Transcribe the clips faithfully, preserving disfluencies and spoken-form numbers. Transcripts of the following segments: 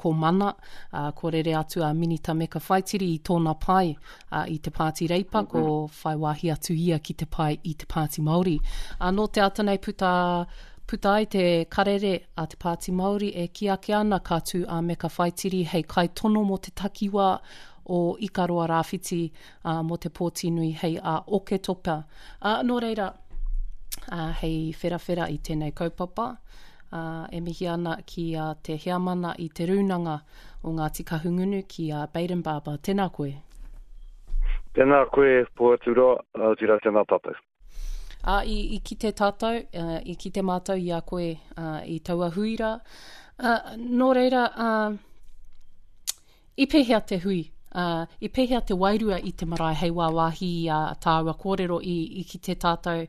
ko Mana, ā, kua rere atu a Minita Meka Whaitiri i tōna pae, ā, i te Pāti Reipa, mm -hmm. ko whai wāhi atu ia ki te pae i te Pāti Māori. Ā, nō te ata nei puta, puta ai te karere a te Pāti Māori e kī ake ana ka tū a Meka Whaitiri hei kaitono mō te takiwā o Ikaroa Rāwhiti, ā, mō te pōti nui hei ā Oketopa. Ā, nō reira, ā, hei wherawhera i tēnei kaupapa, ā, e mihi ana ki a te heamana i te rūnanga o Ngāti Kahungunu ki a Bayden Barber. Tēnā koe. Tēnā koe, Pohaturoa, otirā tēnā tātou. Ā, i, i kite tātou, uh, i kite mātou i a koe uh, i taua hui rā. Uh, nō reira, uh, i pēhea te hui? Uh, i pēhea te wairua i te marae hei wāwāhi i a tāua kōrero i, i kite tātou,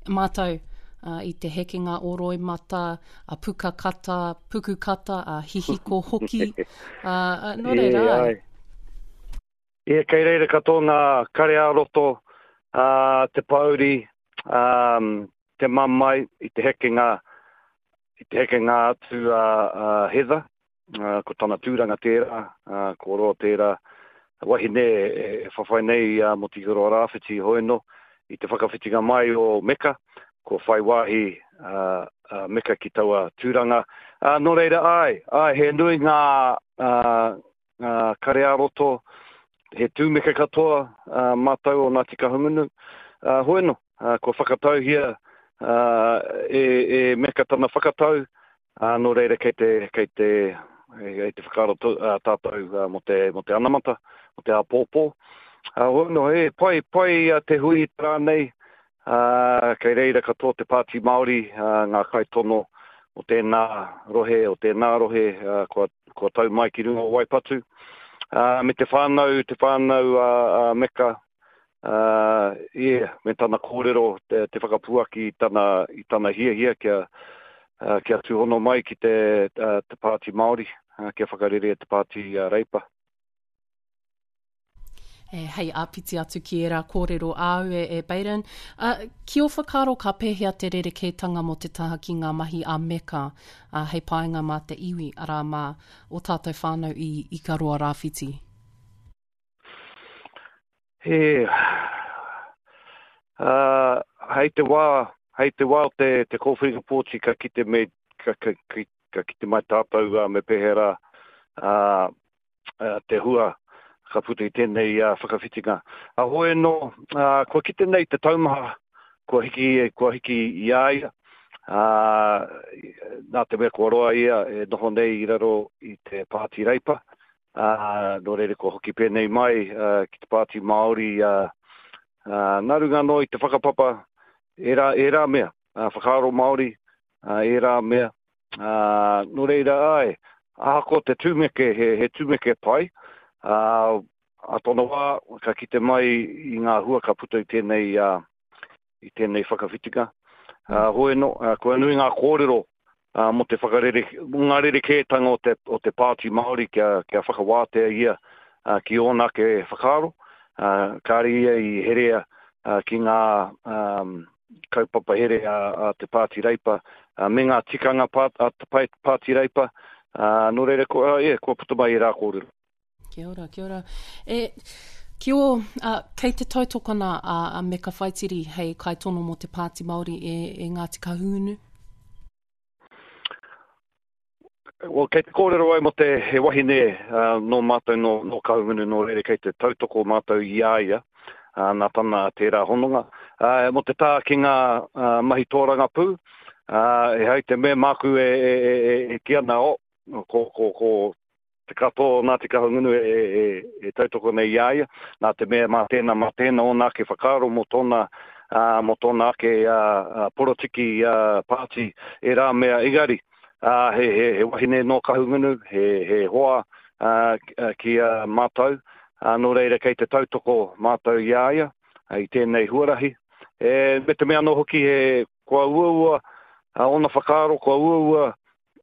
mātou, uh, i te hekenga o roimata, a puka kata, puku kata, a hihiko hoki. Uh, uh, nō reira, ai. E, kei reira katoa ngā kare ā-roto, uh, te pōuri, um, te mamae i te hekenga, i te hekenga atu a, a Heather, uh, ko tana tūranga tērā, uh, ko roa tērā, wahine e whawhai nei a mō Te Ikaroa Rāwhiti hoeno i te whakawhitinga mai o Meka, ko whai wāhi uh, uh, Meka ki taua tūranga. Uh, nō reira, ai, ai, he nui ngā, uh, ngā kare ā-roto, he tūmeke katoa uh, mātou o Ngāti Kahungunu. Uh, hoeno, uh, kua whakatauhia uh, e, e Meka tana whakatau, uh, nō reira kei te, kei te, kei te whakaaro uh, tātou uh, mō te, mō te anamata, mō te āpōpō. Uh, hoeno, e, pai, pai uh, te hui i te rā nei, uh, kei reira katoa te Pāti Māori, uh, ngā kaitono o tēnā rohe, o tēnā rohe, uh, kua, kua tau mai ki runga o Waipatu. Uh, me te whānau, te whānau a uh, uh, Meka, uh, yeah, me tana kōrero, te, te whakapuaki i tana, i tana hiahia kia, uh, kia tūhono mai ki te, uh, te Pāti Māori, uh, kia whakarere te Pāti uh, Reipa. E, hei āpiti atu ki ērā kōrero āu e, e Bayden. Uh, ki ō whakaaro ka pēhea te rerekētanga mō te taha ki ngā mahi a Meka uh, hei painga mā te iwi, arā mā o tātou whānau i Ikaroa Rāwhiti? He, uh, hei te wā, hei te wā o te, te kōwhiringa pōti ka kite, me, ka, ka, ka, ka kite mai tātou uh, me pēhea rā uh, uh, te hua ka puta i tēnei uh, whakawhitinga. A hoi anō, uh, kua kite nei te taumaha, kua hiki, kua hiki i a ia, uh, nā te mea kua roa ia e noho nei i raro i te Pāti Reipa, uh, nō reira kua hoki pēnei mai uh, ki te Pāti Māori, uh, uh, nā runga anō i te whakapapa, ērā, ērā mea, uh, whakaaro Māori, uh, ērā mea, uh, nō reira ai, ahakoa te tūmeke, he, he tūmeke pai, Uh, a tōna wā, ka kite mai i ngā hua ka puta i tēnei, uh, i tēnei whakawhitinga. Uh, hoi anō, uh, kua nui ngā kōrero uh, mō te whakarere, mō ngā rerekētanga o te, o te Pāti Māori kia, kia whakawātea ia uh, ki ōna ake whakaaro. Uh, kāre ia i herea uh, ki ngā um, kaupapa here a, a te Pāti Reipa, uh, me ngā tikanga pā, a te Pāti Reipa. Uh, nō reira, ko, uh, yeah, kua puta mai i rā kōrero. Kia ora, kia ora. E, ki o, uh, kei te tautokona a, a Meka Whaitiri hei kaitono mō te Pāti Māori e, e Ngāti Kahungunu? Well, kei te kōrero ai mō te he wahine uh, nō mātou nō, nō Kahungunu, nō reira kei te tautoko mātou i a ia, uh, nā tana tērā hononga. Uh, mō te tā ki ngā uh, mahi tōrangapū, uh, e hei te mea māku e, e, e, e, e ki ana, o, ko, ko, ko te katoa o Ngāti Kahungunu e, e, e, e tautoko nei i a ia, nā te mea mā tēnā, mā tēnā ōna ake whakaaro mō tōna, uh, mō tōna ake uh, porotiki uh, pāti e rā mea engari. Uh, he, he, he wahine nō Kahungunu, he, he hoa uh, ki a uh, mātou, uh, nō reira kei te tautoko mātou i a ia, uh, i tēnei huarahi. E, me te mea anō hoki he kua uaua, uh, ōna whakaaro kua uaua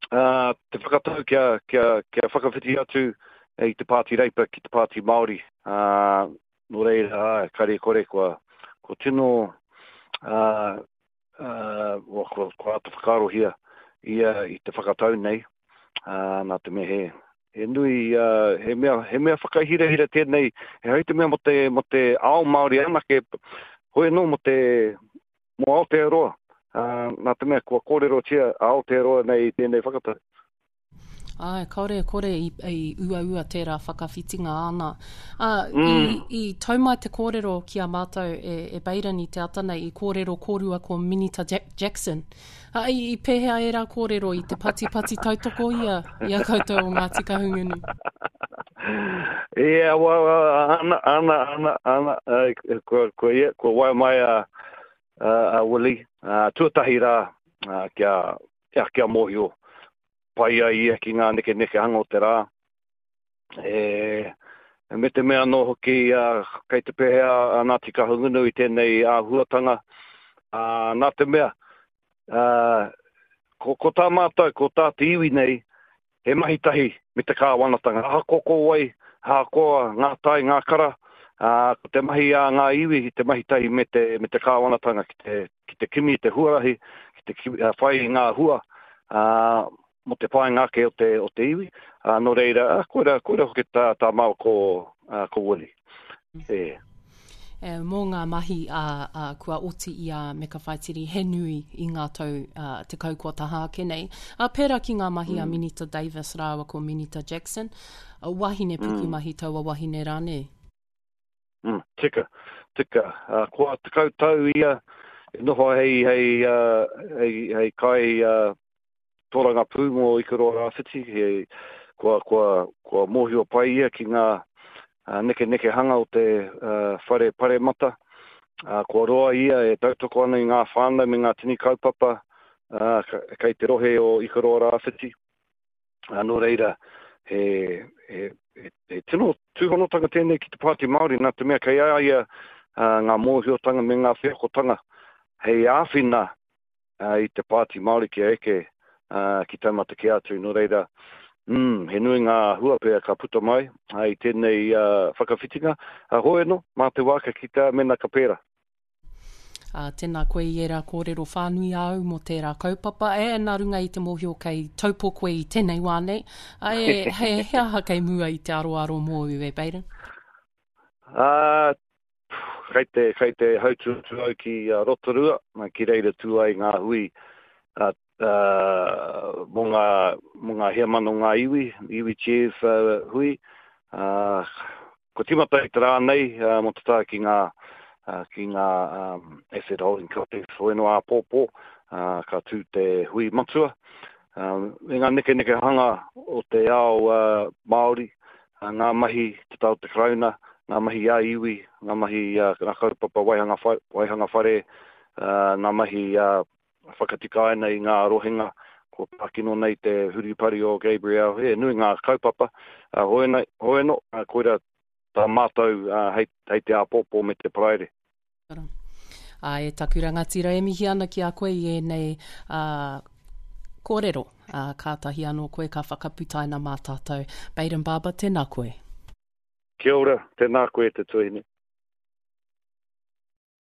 uh, te whakatau kia, kia, kia whakawhiti atu i te Pāti Reipa ki te Pāti Māori. Uh, nō reira, ai, kare kore kua, kua tino uh, uh, kua, kua āta whakaarohia ia i te whakatau nei, uh, nā te mea he, He nui, uh, he mea, he mea whakahirahira tēnei, he hei te mea mo te, mo te ao Māori anake, hoi anō mo te, mo Aotearoa. Uh, nā te mea kua kōrerotia a Aotearoa nei i tēnei whakatau. Ai, kaore e kore i, i uaua tērā whakawhitinga āna. Uh, mm. i, i tau mai te kōrero ki a mātou e, e Baden i te ata nei, i kōrero kōrua ko Minita Jack Jackson. Uh, i, i pēhea ērā kōrero i te patipati tautoko ia, i a koutou o Ngāti Kahungunu? Yeah, well, ana, ana, ana, ana, uh, kua, kua, yeah, kua waea mai a, a, a Willie, uh, tuatahi rā, uh, kia, kia, kia mōhio pai ai ia ki ngā nekenekehanga o te rā. E, me te mea anō hoki uh, kei te pēhea a Ngāti Kahungunu i tēnei āhuatanga. Uh, nā te mea, uh, ko, ko tā mātou, ko tā te iwi nei, he mahi tahi me te kāwanatanga. Ahakoa ko wai, ahakoa ngā tai, ngā kara, uh, ko te mahi a ngā iwi, te mahi tahi me te, me te kāwanatanga ki te, ki te kimi i te huarahi, ki te kimi, uh, whai i ngā hua, uh, mo te painga ake o te, o te iwi. Uh, nō reira, uh, koira, koira hoki tā, tā māua ko, uh, ko Willie. E. E, mō ngā mahi a, a, kua oti i a Meka Whaitiri, he nui i ngā tau uh, tekau kua taha ake nei. A, pērā ki ngā mahi mm. a Minita Davis rāua ko Minita Jackson, a, wahine pukumahi mm. taua wahine rānei? Mm, tika, tika. Uh, kua tekau tau ia e noho hei, hei, uh, hei, hei kai uh, tōrangapū mō Ikaroa Rāwhiti, he, kua, kua, kua mōhio pai ia ki ngā uh, nekenekehanga o te uh, whare paremata. Uh, kua roa ia e tautoko ana i ngā whānau me ngā tini kaupapa uh, kei te rohe o Ikaroa Rāwhiti. Uh, nō reira, he, he, he, he tino tūhonotanga tēnei ki te Pāti Māori, nā te mea kei a ia uh, ngā mōhiotanga me ngā wheakotanga hei āwhina uh, i te Pāti Māori kia eke uh, ki taumata kē atu. Nō reira, mm, he nui ngā hua pea ka puta mai uh, i tēnei uh, whakawhitinga. Uh, hoi anō, mā te wā ka kitea mena ka pērā. Uh, tēnā koe i ērā kōrero whānui āu mō tērā kaupapa. E, nā runga i te mōhio kei Taupo koe i tēnei wā nei. Uh, e, he, he aha kei mua i te aroaro mōu e Baden? Uh, kei te, kei te hautū au ki uh, Rotorua, ki reira tū ai ngā hui uh, uh, mō ngā, mō ngā heamana o ngā iwi, iwi chairs uh, hui. Uh, ko tīmata i te rā nei uh, mō te taha ki ngā, uh, ki ngā um, asset holding companies, hoi anō āpōpō, uh, ka tū te hui matua. Uh, me ngā nekenekehanga o te ao uh, Māori, uh, ngā mahi te taha o te Karauna, ngā mahi a iwi, ngā mahi uh, ngā kaupapa waihanga, waihanga whare, uh, ngā mahi uh, whakatikaina i ngā rohenga, kua pākino nei te huripari o Gabrielle, he nui ngā kaupapa, uh, hoi anō, hoi anō, uh, koira tā mātou uh, hei, hei te āpōpō me te Paraire. Ā, e taku rangatira e mihi ana ki a koe i ēnei uh, kōrero. Uh, kātahi anō koe ka whakaputaina mā tātou. Baden Barber, tēnā koe. Kia ora, tēnā koe te tuahine.